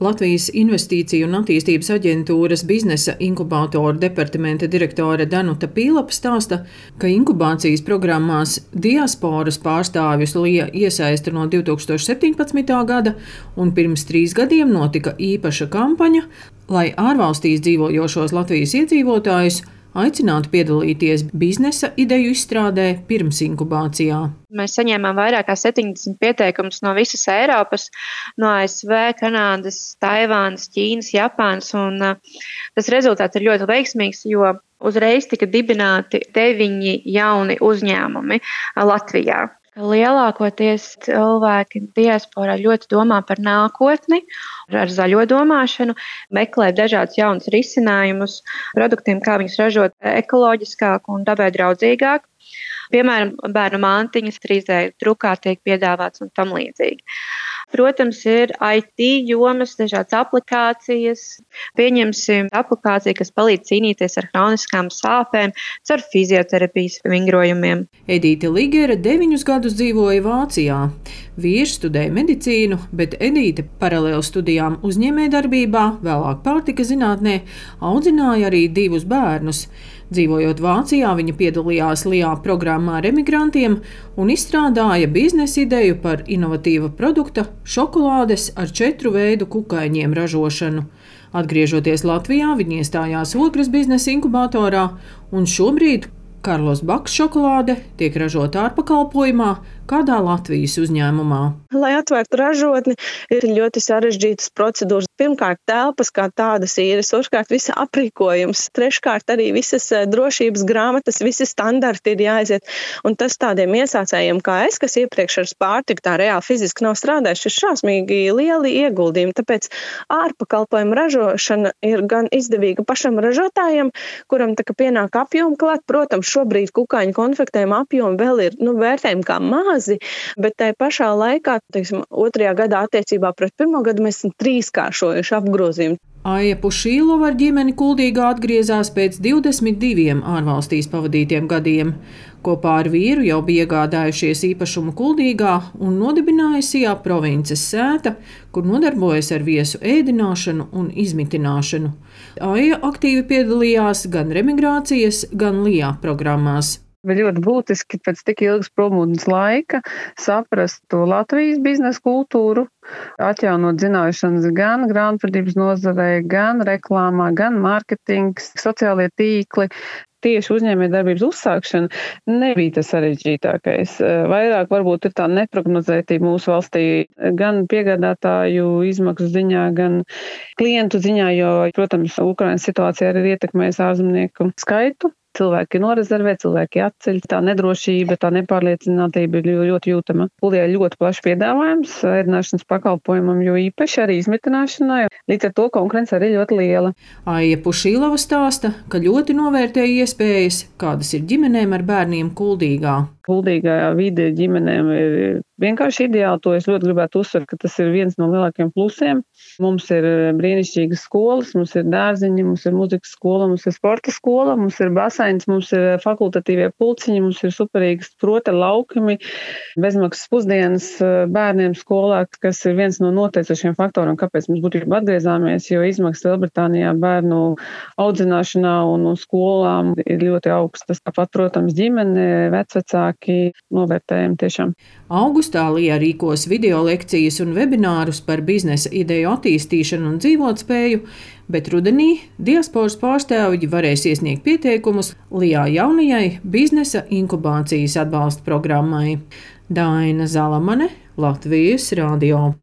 Latvijas Investīciju un attīstības aģentūras biznesa inkubātoru departamenta direktore Danuta Pīlapa stāsta, ka inkubācijas programmās diasporas pārstāvjus LIA iesaista no 2017. gada, un pirms 3 gadiem notika īpaša kampaņa, lai ārvalstīs dzīvojošos Latvijas iedzīvotājus aicinātu piedalīties biznesa ideju izstrādē pirms inkubācijā. Mēs saņēmām vairāk kā 70 pieteikumus no visas Eiropas, no ASV, Kanādas, Taivānas, Ķīnas, Japānas, un tas rezultāts ir ļoti veiksmīgs, jo uzreiz tika dibināti 9 jauni uzņēmumi Latvijā. Lielākoties cilvēki diasporā ļoti domā par nākotni, ar zaļo domāšanu, meklē dažādus jaunus risinājumus produktiem, kā viņus ražot ekoloģiskāk un dabai draudzīgāk. Piemēram, bērnu mantiņas 3D drukā tiek piedāvāts un tam līdzīgi. Protams, ir IT jomas, dažādas aplikācijas. Pieņemsim aplikāciju, kas palīdz cīnīties ar hroniskām sāpēm, caur fizioterapijas vingrojumiem. Edīte Ligere 9 gadus dzīvoja Vācijā. Vīrs studēja medicīnu, bet Edīte paralēli studijām uzņēmējdarbībā, vēlāk pārtika zinātnē, audzināja arī 2 bērnus. Dzīvojot Vācijā, viņa piedalījās LIA programmā ar emigrantiem un izstrādāja biznesa ideju par inovatīva produkta šokolādes ar 4 veidu kukaiņiem ražošanu. Atgriežoties Latvijā, viņa iestājās Ogres biznesa inkubatorā, un šobrīd Karlos Baks šokolāde tiek ražota ārpakalpojumā kādā Latvijas uzņēmumā. Lai atvērtu ražotni, ir ļoti sarežģītas procedūras. Pirmkārt, telpas kā tādas īres, otrkārt, visa aprīkojums, treškārt arī visas drošības grāmatas, visi standarti ir jāaiziet. Un tas tādiem iesācējiem kā es, kas iepriekš ar pārtiku tā reāli fiziski nav strādājuši, ir šausmīgi lieli ieguldījumi. Tāpēc ārpakalpojumu ražošana ir gan izdevīga pašam ražotājam, kuram tā kā pienāk apjomu klāt. Protams, šobrīd kukaiņu konfektēm apjomu vēl ir vērtējumi kā mazi, bet tai pašā laikā, 2. gadā attiecībā pret 1. gadu mēs esam 3-kāršojuši apgrozījumu. Aija Pušīlova ar ģimeni Kuldīgā atgriezās pēc 22 ārvalstīs pavadītiem gadiem. Kopā ar vīru jau bija iegādājušies īpašumu Kuldīgā un nodibināja Sijā provinces sēta, kur nodarbojas ar viesu ēdināšanu un izmitināšanu. Aija aktīvi piedalījās gan remigrācijas, gan LIA programmās. Bija ļoti būtiski pēc tik ilgas prombūtnes laika saprast to Latvijas biznesa kultūru, atjaunot zināšanas gan grāmatvedības nozarē, gan reklāmā, gan mārketings, sociālie tīkli. Tieši uzņēmējdarbības uzsākšana nebija tas sarežģītākais. Vairāk varbūt ir tā neprognozētība mūsu valstī gan piegādātāju izmaksu ziņā, gan klientu ziņā, jo, protams, Ukrainas situācija arī ietekmēs ārzemnieku skaitu. Cilvēki norezervē, cilvēki atceļ, tā nedrošība, tā nepārliecinātība ir ļoti jūtama. Kuldīgā ir ļoti plašs piedāvājums ēdināšanas pakalpojumam, jo īpaši arī izmitināšanai. Līdz ar to konkurence arī ļoti liela. Aija Pušīlova stāsta, ka ļoti novērtēja iespējas, kādas ir ģimenēm ar bērniem Kuldīgā. Kuldīgā vide ģimenēm ir vienkārši ideāli. To es ļoti gribētu uzsvert, ka tas ir viens no lielākiem plusiem. Mums ir brīnišķīgas skolas, mums ir dārziņi, mums ir muzikas skola, mums ir sporta skola, mums ir baseins, mums ir fakultatīvie pulciņi, mums ir superīgas prota laukumi, bezmaksas pusdienas bērniem skolā, kas ir viens no noteicošiem faktoriem, kāpēc mēs būtībā atgriezāmies, jo izmaksas Lielbritānijā bērnu audzināšanā un skolām ir ļoti augstas. Tāpat, protams, ģimene, vecvecāki novērtējumi tiešām. Augustā LIA rīkos video lekcijas un webinārus par biznesa ideju attīstīšanu un dzīvotspēju, bet rudenī diasporas pārstāvji varēs iesniegt pieteikumus LIA jaunajai biznesa inkubācijas atbalsta programmai. Daina Zalamane, Latvijas radio.